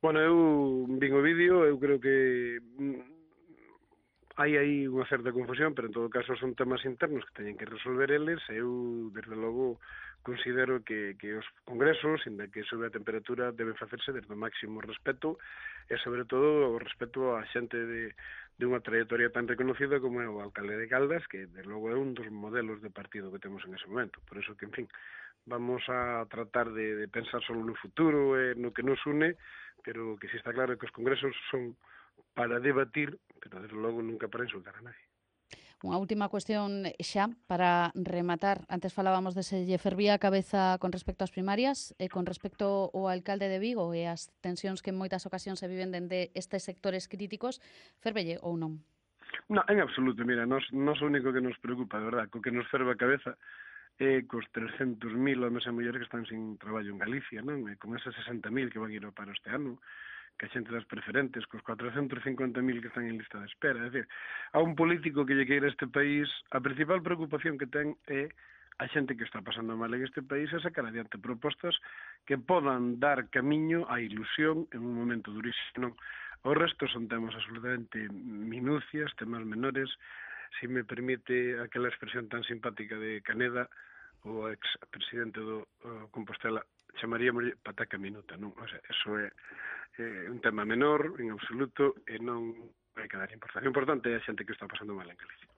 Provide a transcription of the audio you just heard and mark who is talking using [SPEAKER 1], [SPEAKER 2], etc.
[SPEAKER 1] Bueno, eu vin o vídeo, eu creo que hai aí unha certa confusión, pero en todo caso son temas internos que teñen que resolver eles, e eu, desde logo, considero que os congresos, inda que sube a temperatura, deben facerse desde o máximo respeto, e sobre todo o respeto á xente de unha trayectoria tan reconocida como é o alcalde de Caldas, que desde logo é un dos modelos de partido que temos en ese momento. Por eso que, en fin, vamos a tratar de pensar solo no futuro e no que nos une, pero que si está claro que os congresos son para debatir, pero desde logo nunca para insultar a nadie.
[SPEAKER 2] Unha última cuestión xa para rematar. Antes falábamos de se lle fervía a cabeza con respecto ás primarias e con respecto ao alcalde de Vigo e as tensións que en moitas ocasións se viven dende estes sectores críticos, fervelle ou non?
[SPEAKER 1] No, en absoluto, mira, nos o único que nos preocupa, de verdad, co que nos ferve a cabeza é cos 300.000 homes e mulleres que están sin traballo en Galicia, non? E con esas 60.000 que van ir ao paro este ano, que a xente das preferentes, cos 450.000 que están en lista de espera. É dicir, a un político que lle queira este país, a principal preocupación que ten é a xente que está pasando mal en este país é sacar adiante propostas que podan dar camiño á ilusión en un momento durísimo. Non? O resto son temas absolutamente minucias, temas menores. Si me permite aquela expresión tan simpática de Caneda, o ex-presidente do Compostela, chamaríamos pataca minuta, non? O sea, eso é un tema menor, en absoluto, e non hai que dar importancia. O importante é a xente que está pasando mal en Galicia.